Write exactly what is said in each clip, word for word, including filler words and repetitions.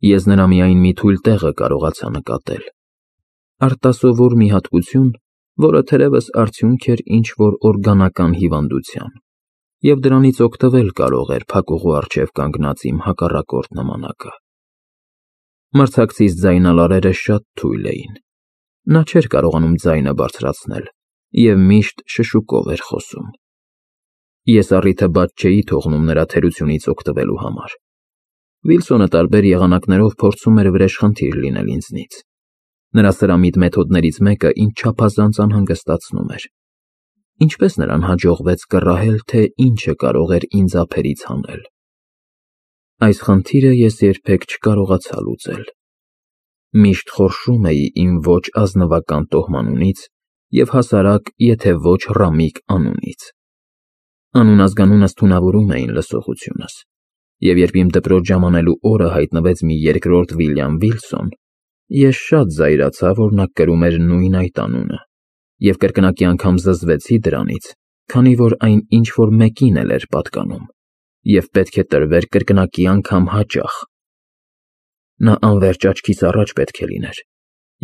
Ես նրա միայն մի թույլ տեղը կարողացա նկատել. արտասովոր մի հատկություն, որը թերևս արդյունք էր ինչ-որ օրգանական հիվանդության, և դրանից օգտվել կարող էր փակուղու առջև կանգնած իմ հակառակորդ նմանակը։ Մրցակցիս ձայնալարերը շատ թույլ էին։ Նա չէր կարողանում ձայնը բարձրացնել և միշտ շշուկով էր խոսում։ Ես առիթը բաց չէի թողնում նրա թերությունից օգտվելու համար։ Վիլսոնը տարբեր եղանակներով փորձում էր վրեժխնդիր լինել ինձնից։ Նրա սրամիտ մեթոդներից մեկը ինձ չափազանց անհանգստացնում էր։ Ինչպես նրան հաջողվեց կռահել, թե ինչը կարող էր ինձ ափերից հանել։ Այս խնդիրը ես երբեք չկարողացա լուծել։ Միշտ խորշում էի իմ ոչ ազնվական տոհմանունից և հասարակ, եթե ոչ ռամիկ անունից։ Անուն-ազգանունս թունավորում էին լսողությունս, և երբ իմ դպրոց ժամանելու օրը հայտնվեց մի երկրորդ Վիլյամ Վիլսոն, ես շատ զայրացա, որ նա կրում էր նույն այդ անունը, և կրկնակի անգամ զզվեցի դրանից, քանի որ այն ինչ-որ մեկին էլ էր պատկանում և պետք է տրվեր կրկնակի անգամ հաճախ։ Նա անվերջ աչքիս առաջ պետք է լիներ,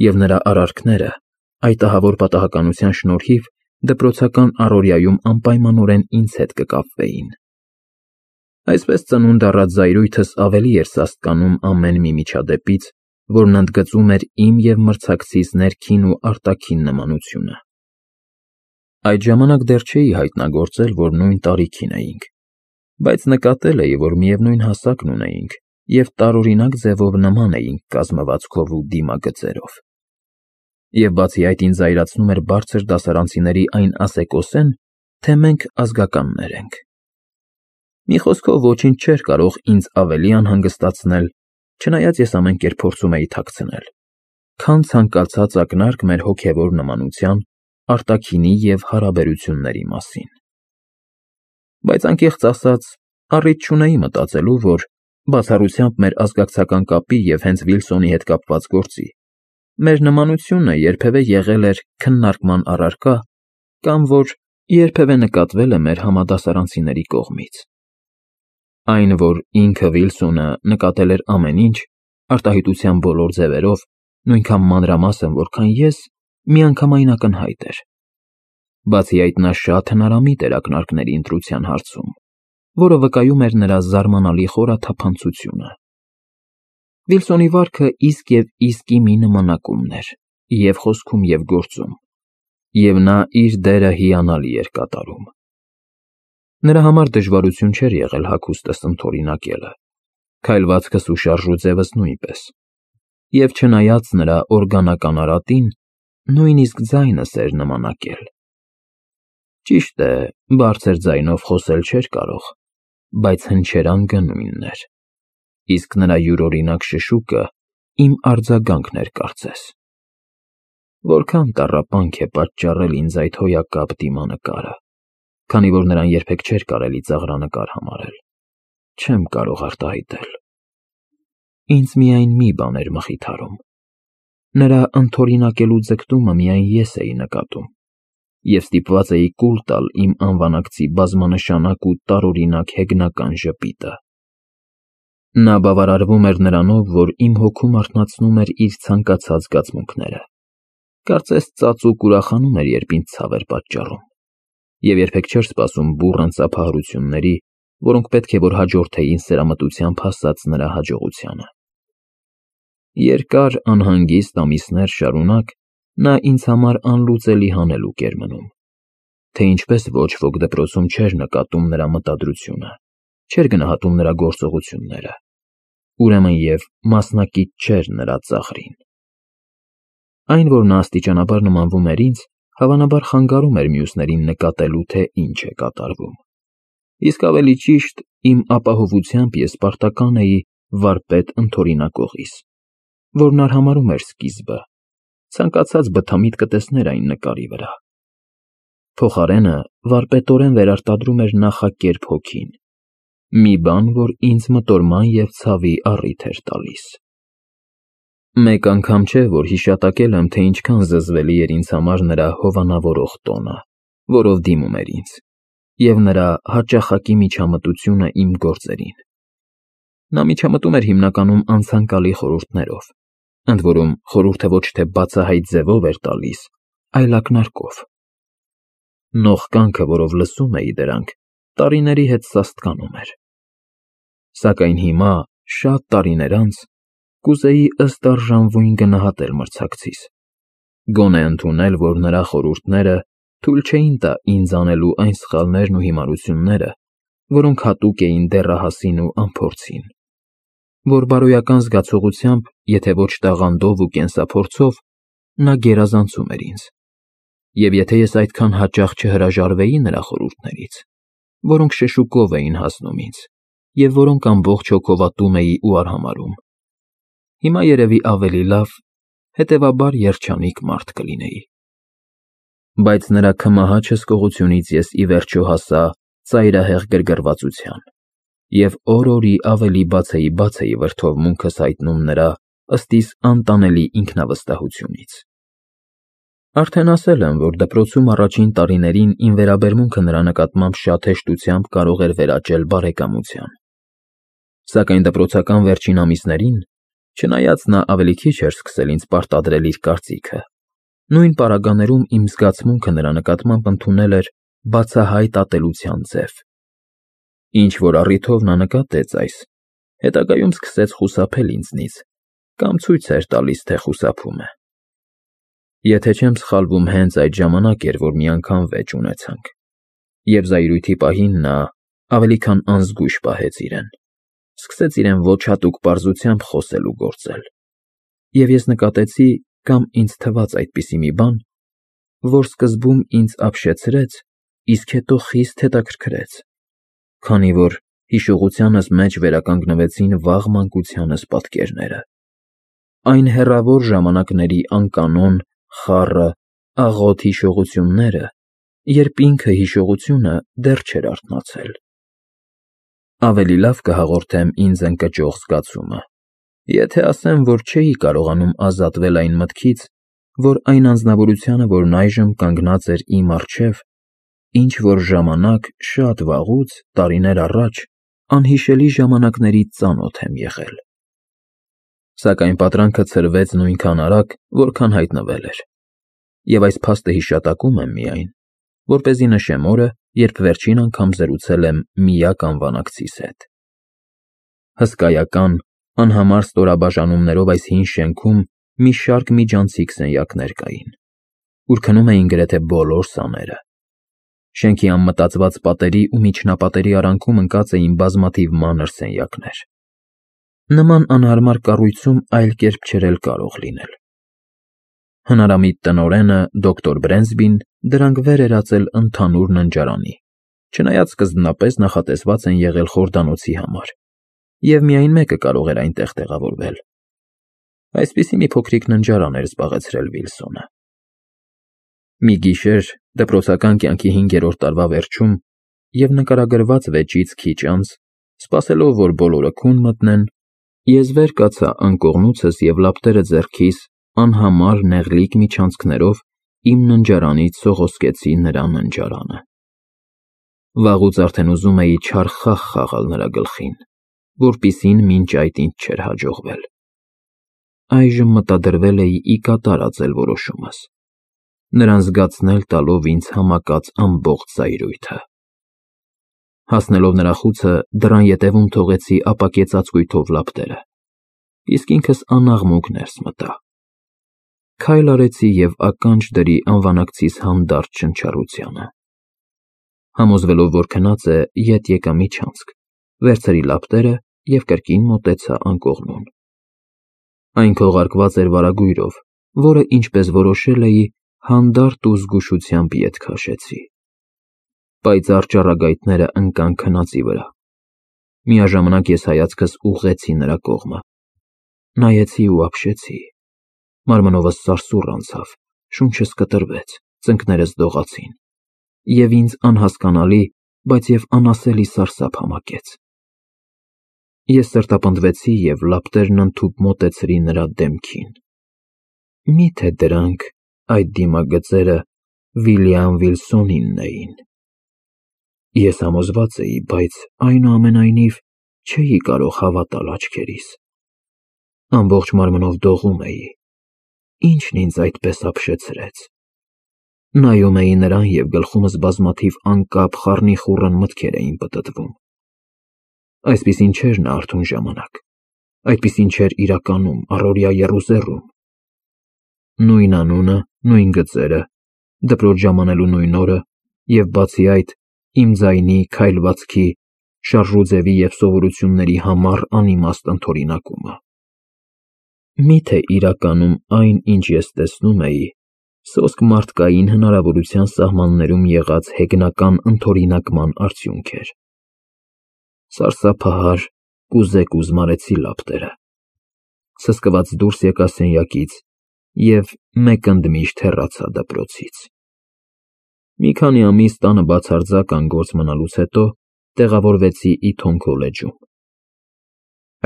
և նրա արարքները այդ ահավոր պատահականության շնորհիվ դպրոցական առօրյայում անպայմանորեն ինձ հետ կկապվեին։ Այսպես ծնունդ առած զայրույթս ավելի էր սաստկանում ամեն մի միջադեպից, որն ընդգծում էր իմ և մրցակցիս ներքին ու արտաքին նմանությունը։ Այդ ժամանակ դեռ չէի հայտնագործել, որ նույն տարիքին էինք, բայց նկատել էի, որ միևնույն հասակն ունեինք և տարօրինակ ձևով նման էինք կազմվածքով ու դիմագծերով։ Եվ բացի այդ ինձ զայրացնում էր բարձր դասարանցիների այն ասեկոսեն, թե մենք ազգականներ ենք։ Մի խոսքով ոչինչ չէր կարող ինձ ավելի անհանգստացնել, չնայած ես ամեն կերպ փորձում էի թաքցնել, քան ցանկացած ակնարկ մեր հոգևոր նմանության, արտաքինի և հարաբերությունների մասին։ Բայց անկեղծ ասած, առիթ չունեի մտածելու, որ բացառությամբ մեր ազգակցական կապի և հենց Վիլսոնի հետ կապված գործի, մեր նմանությունը երբևէ եղել էր քննարկման առարկա կամ որ երբևէ նկատվել է մեր համադասարանցիների կողմից։ Այն, որ ինքը Վիլսոնը նկատել էր ամեն ինչ, արտահայտության բոլոր ձևերով, նույնքան մանրամասն, որքան ես, միանգամայն ակնհայտ էր։ Բացի այդ, նա շատ հնարամիտ էր ակնարկների ընտրության հարցում, որը վկայում էր նրա զարմանալի խորաթափանցությունը։ Վիլսոնի վարքը իսկ և իսկի մի նմանակումն էր և խոսքում, և գործում, և նա իր դերը հիանալի էր կատարում։ Նրա համար դժվարություն չէր եղել հագուստս ընդօրինակելը, քայլվածքս ու շարժուձևս նույնպես, և չնայած նրա օրգանական արատին, նույնիսկ ձայնս էր նմանակել։ Ճիշտ է, բարձր ձայնով խոսել չէր կարող, բայց հնչերանգը նույնն էր, իսկ նրա յուրօրինակ շշուկը իմ արձագանքն էր կարծես։ Որքան տառապանք է պատճառել ինձ այդ հոյակապ դիմանկարը, քանի որ նրան երբեք չէր կարելի ծաղրանկար համարել, չեմ կարող արտահայտել։ Ինձ միայն մի բան էր մխիթարում. նրա ընդօրինակելու ձգտումը միայն ես էի նկատում, և ստիպված էի կուլ տալ իմ անվանակցի բազմանշանակ ու տարօրինակ հեգնական ժպիտը։ Նա բավարարվում էր նրանով, որ իմ հոգում արթնացնում էր իր ցանկացած զգացմունքները, կարծես ծածուկ ուրախանում էր, երբ ինձ ցավ էր պատճառում, և երբեք չէր սպասում բուռն ծափահարությունների, որոնք պետք է որ հաջորդեին սերամտությամբ հասած նրա հաջողությանը։ Երկար անհանգիստ ամիսներ շարունակ նա ինձ համար անլուծելի հանելուկ էր մնում, թե ինչպես ոչ ոք դպրոցում չէր նկատում նրա մտադրությունը, չէր գնահատում նրա գործողությունները, ուրեմն և մասնակից չէր նրա ծաղրին։ Այն, որ նա աստիճանաբար նմանվում էր ինձ, հավանաբար խանգարում էր մյուսներին նկատելու, թե ինչ է կատարվում, իսկ ավելի ճիշտ, իմ ապահովությամբ ես պարտական էի վարպետ ընդօրինակողիս, որն արհամարհում էր սկիզբը, ցանկացած բթամիտ կտեսներ այն նկարի վրա։ Փոխարենը վարպետորեն վերարտադրում էր նախակերպ հոգին, մի բան, որ ինձ մտորման և ցավի առիթ էր տալիս։ Մեկ անգամ չէ, որ հիշատակել եմ, թե ինչքան զզվելի էր ինձ համար նրա հովանավորող տոնը, որով դիմում էր ինձ, և նրա հաճախակի միջամտությունը իմ գործերին։ Նա միջամտում էր հիմնականում անցանկալի խորհուրդներով, ընդ որում խորհուրդը ոչ թե բացահայտ ձևով էր տալիս, այլ ակնարկով։ Նող կյանքը, որով լսում էի դրանք, տարիների հետ սաստկանում էր։ Սակայն հիմա, շատ տարիներ անց, կուզեի ըստ արժանվույն գնահատել մրցակցիս, գոնե ընդունել, որ նրա խորհուրդները թույլ չէին տա ինձ անելու այն սխալներն ու հիմարությունները, որոնք հատուկ էին դեռահասին ու անփորձին, որ բարոյական զգացողությամբ, եթե ոչ տաղանդով ու կենսափորձով, նա գերազանցում էր ինձ, և եթե ես այդքան հաճախ չհրաժարվեի նրա խորհուրդներից, որոնք շշուկով էին հասնում ինձ, և որոնք ամբողջ հոգով ատում էի ու արհամարհում, հիմա երևի ավելի լավ, հետևաբար երջանիկ մարդ կլինեի։ Բայց նրա քմահաճ հսկողությունից ես ի վերջո հասա ծայրահեղ գրգռվածության, և օր-օրի ավելի բաց էի բաց էի վրդովմունքս հայտնում նրա ըստ իս անտանելի ինքնավստահությունից։ Արդեն ասել եմ, որ դպրոցում առաջին տարիներին իմ վերաբերմունքը նրա նկատմամբ շատ հեշտությամբ կարող էր վերաճել բարեկամության։ Սակայն դպրոցական վերջին ամիսներին, չնայած նա ավելի քիչ էր սկսել ինձ պարտադրել իր կարծիքը, նույն պարագաներում իմ զգացմունքը նրա նկատմամբ ընդունել էր բացահայտ ատելության ձև։ Ինչ-որ առիթով նա նկատեց այս, հետագայում սկսեց խուսափել ինձնից կամ ցույց էր տալիս, թե խուսափում է։ Եթե չեմ սխալվում, հենց այդ ժամանակ էր, որ մի անգամ վեճ ունեցանք, և զայրույթի պահին նա ավելի քան անզգույշ պահեց իրեն, սկսեց իրեն ոչ հատուկ պարզությամբ խոսել ու գործել, և ես նկատեցի, կամ ինձ թվաց այդպիսի մի բան, որ սկզբում ինձ ապշեցրեց, իսկ հետո խիստ հետաքրքրեց, քանի որ հիշողությանս մեջ վերականգնվեցին վաղ մանկությանս պատկերները, այն հեռավոր ժամանակների անկանոն, խառը, աղոտ հիշողությունները, երբ ինքը հիշողությունը դեռ չէր արթնացել։ Ավելի լավ կհաղորդեմ ինձ ընկճող զգացումը, եթե ասեմ, որ չէի կարողանում ազատվել այն մտքից, որ այն անձնավորությանը, որն այժմ կանգնած էր իմ առջև, ինչ-որ ժամանակ շատ վաղուց, տարիներ առաջ, անհիշելի ժամանակներից ծանոթ եմ եղել։ Սակայն պատրանքը ցրվեց նույնքան արագ, որքան հայտնվել էր, և այս փաստը հիշատակում եմ միայն, որպեսզի նշեմ օրը, երբ վերջին անգամ զրուցել եմ միակ անվանակցիս հետ։ Հսկայական, անհամար ստորաբաժանումներով այս հին շենքում մի շարք միջանցիկ սենյակներ կային, ուր քնում էին գրեթե բոլոր սաները։ Շենքի անմտածված պատերի ու միջնապատերի արանքում ընկած էին բազմաթիվ մանր սենյակներ։ Նման անհարմար կառույցում այլ կերպ չէր էլ կարող լինել։ Հնարամիտ տնօրենը, դոկտոր Բրենսբին, դրանք վեր էր ածել ընդհանուր ննջարանի, չնայած սկզբնապես նախատեսված են եղել խորդանոցի համար, և միայն մեկը կարող էր այնտեղ տեղավորվել։ Այսպիսի մի փոքրիկ ննջարան էր զբաղեցրել Վիլսոնը։ Մի գիշեր, դպրոցական կյանքի հինգերորդ տարվա վերջում և նկարագրված վեճից քիչ անց, սպասելով, որ բոլորը քուն մտնեն, ես վեր կացա անկողնուցս և լապտերը ձեռքիս անհամար նեղլիկ միջանցքներով իմ ննջարանից սողոսկեցի նրա ննջարանը։ Վաղուց արդեն ուզում էի չար խաղ խաղալ նրա գլխին, որպիսին մինչ այդ ինձ չէր հաջողվել։ Այժմ մտադրվել էի ի կատար ածել որոշումս, նրան զգացնել տալով ինձ համակած ամբողջ զայրույթը։ Հասնելով նրա խուցը, դռան ետևում թողեցի ապակե ծածկույթով լապտերը, իսկ ինքս անաղմուկ ներս մտա։ Քայլ արեցի և ականջ դրի անվանակցիս հանդարտ շնչառությանը։ Համոզվելով, որ քնած է, ետ եկա միջանցք, վերցրի լապտերը և կրկին մոտեցա անկողնուն։ Այն քողարկված էր վարագույրով, որը, ինչպես որոշել էի, հանդարտ ու զգուշությամբ ետ քաշեցի։ Պայծառ ճառագայթները ընկան քնածի վրա։ Միաժամանակ ես հայացքս ուղղեցի նրա կողմը, նայեցի ու ապշեցի։ Մարմնովս սարսուռ անցավ, շունչս կտրվեց, ծնկներս դողացին, և ինձ անհասկանալի, բայց և անասելի սարսափ համակեց։ Ես սրտապնդվեցի և լապտերն ընդհուպ մոտեցրի նրա դեմքին։ Մի՞թե դրանք, այդ դիմագծերը, Վիլյամ Վիլսոնինն էին։ Ես համոզված էի, բայց, այնուամենայնիվ, չէի կարող հավատալ աչքերիս։ Ամբողջ մարմնով դողում էի։ Ինչն ինձ այդպես ապշեցրեց։ Նայում էի նրան և գլխումս բազմաթիվ անկապ խառնիխուռն մտքեր էին պտտվում։ Այսպիսին չէր նա արթուն ժամանակ, այդպիսին չէր իրականում, առօրյա եռուզեռում։ Նույն անունը, նույն գծերը, դպրոց ժամանելու նույն օրը և բացի այդ, իմ ձայնի, քայլվածքի, շարժուձևի և սովորությունների համառ անիմաստ ընդօրինակումը։ Մի՞թե իրականում այն, ինչ ես տեսնում էի, սոսկ մարդկային հնարավորության սահմաններում եղած հեգնական ընդօրինակման արդյունք էր։ Սարսափահար, կուզեկուզ մարեցի լապտերը, սսկված դուրս եկա սենյակից և մեկ ընդմիշտ հեռացա դպրոցից։ Մի քանի ամիս տանը բացարձակ անգործ մնալուց հետո տեղավորվեցի Իթոն քոլեջում։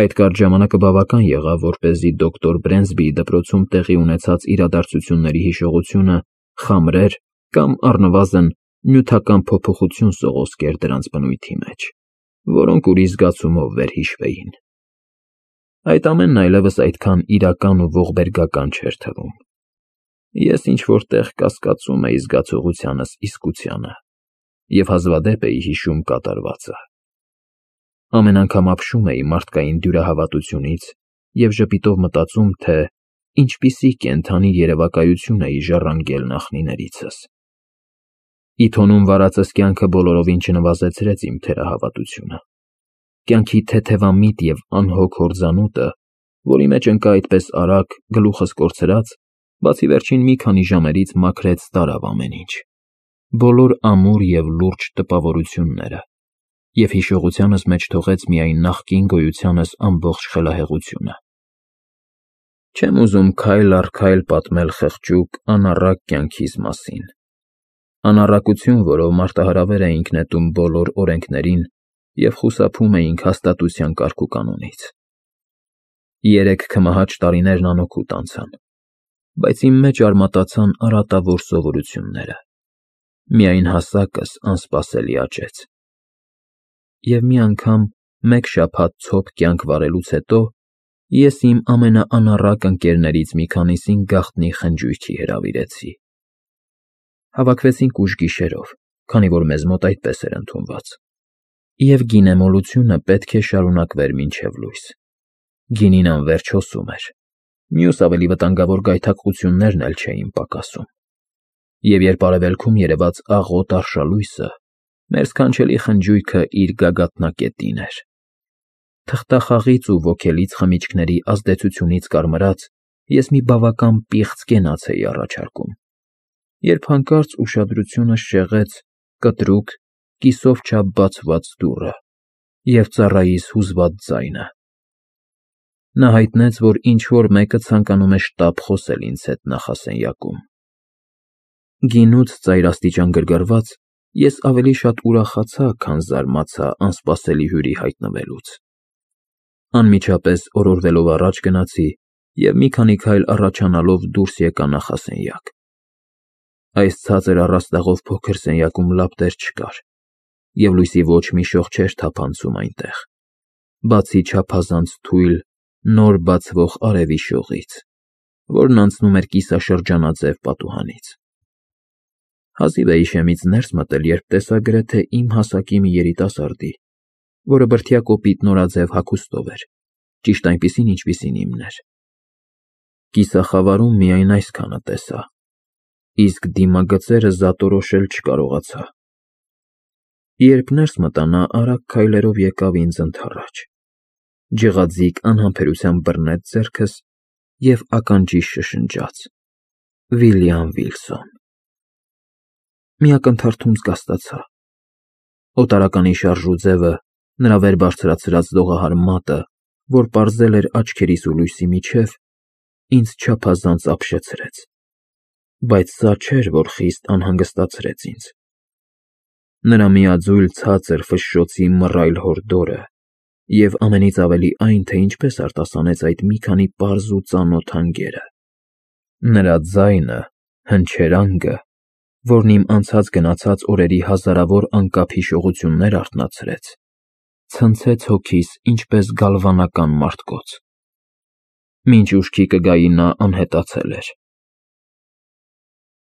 Այդ կարճ ժամանակը բավական եղավ, որպեսզի դոկտոր Բրենսբիի դպրոցում տեղի ունեցած իրադարձությունների հիշողությունը խամրեր կամ առնվազն նյութական փոփոխություն սողոսկեր դրանց բնույթի մեջ, որոնք ուրիշ զգացումով վերհիշվեին։ Այդ ամենն այլևս այդքան իրական ու ողբերգական չէր թվում։ Ես ինչ-որ տեղ կասկածում էի զգացողությանս իսկությանը և հազվադեպ էի հիշում կատարվածը։ Ամեն անգամ ապշում էի մարդկային դյուրահավատությունից և ժպիտով մտածում, թե ինչպիսի կենդանի երևակայություն էի ժառանգել նախնիներիցս։ Իթոնում վարածս կյանքը բոլորովին չնվազեցրեց իմ թերահավատությունը։ Կյանքի թեթևամիտ և անհոգ հորձանուտը, որի մեջ ընկա այդպես արագ, գլուխս կորցրած, բացի վերջին մի քանի ժամերից մաքրեց տարավ ամեն ինչ, բոլոր ամուր և լուրջ տպավորությունները և հիշողությանս մեջ թողեց միայն նախկին գոյությանս ամբողջ խելահեղությունը։ Չեմ ուզում քայլ առ քայլ պատմել խղճուկ, անառակ կյանքիս մասին, անառակություն, որով մարտահրավեր էինք նետում բոլոր օրենքներին և խուսափում էինք հաստատության կարգուկանոնից։ Երեք քմահաճ տարիներն անօգուտ անցան, բայց իմ մեջ արմատացան արատավոր սովորությունները։ Միայն հասակս անսպասելի աճեց։ Եվ մի անգամ, մեկ շաբաթ ցոփ կյանք վարելուց հետո, ես իմ ամենաանառակ ընկերներից մի քանիսին գաղտնի խնջույքի հրավիրեցի։ Հավաքվեցինք ուշ գիշերով, քանի որ մեզ մոտ այդպես էր ընդունված, և գինեմոլությունը պետք է շարունակվեր մինչև լույս։ Գինին անվերջ հոսում էր, մյուս ավելի վտանգավոր գայթակղություններն էլ չէին պակասում։ Եվ երբ արևելքում երևաց աղոտ արշալույսը, մեր սքանչելի խնջույքը իր գագաթնակետին էր։ Թղթախաղից ու ոգելից խմիչքների ազդեցությունից կարմրած, ես մի բավական պիղծ կենաց էի առաջարկում, երբ հանկարծ ուշադրությունս շեղեց կտրուկ, կիսով չափ բացված դուռը և ծառայիս հուզված ձայնը։ Նա հայտնեց, որ ինչ֊որ մեկը ցանկանում է շտապ խոսել ինձ հետ նախասենյակում։ Գինուց ծայրաստիճան գրգռված, ես ավելի շատ ուրախացա, քան զարմացա անսպասելի հյուրի հայտնվելուց։ Անմիջապես օրորվելով առաջ գնացի և մի քանի քայլ առաջանալով դուրս եկա նախասենյակ։ Այս ցածր առաստաղով փոքր սենյակում լապտեր չկար, և լույսի ոչ մի շող չէր թափանցում այնտեղ, բացի չափազանց թույլ, նոր բացվող արևի շողից, որն անցնում էր կիսաշրջանաձև պատուհանից։ Հազիվ էի շեմից ներս մտել, երբ տեսա գրեթե իմ հասակի մի երիտասարդի, որը բրդյա կոպիտ նորաձև հագուստով էր, ճիշտ այնպիսին, ինչպիսին իմն էր։ Կիսախավարում միայն այսքանը տեսա, իսկ դիմագծերը զատորոշել չկարողացա։ Երբ ներս մտա, նա արագ քայլերով եկավ ինձ ընդառաջ, ջղաձիգ անհամբերությամբ բռնեց ձեռքս և ականջիս շշնջաց. «Վիլյամ Վիլսոն»։ Մի ակնթարթում զգաստացա։ Օտարականի շարժուձևը, նրա վեր բարձրացրած լողահար մատը, որ պարզել էր աչքերիս ու լույսի միջև, ինձ չափազանց ապշեցրեց, բայց սա չէր, որ խիստ անհանգստացրեց ինձ։ Նրա միաձույլ ցածր ֆշշոցի մռայլ հորդորը և ամենից ավելի այն, թե ինչպես արտասանեց այդ մի քանի պարզ ու ծանոթ հանգերը։ Նրա ձայնը, հնչերանգը, որն իմ անցած֊գնացած օրերի հազարավոր անկապ հիշողություններ արթնացրեց, ցնցեց հոգիս ինչպես գալվանական մարտկոց։ Մինչ ուշքի կգայի նա անհետացել էր։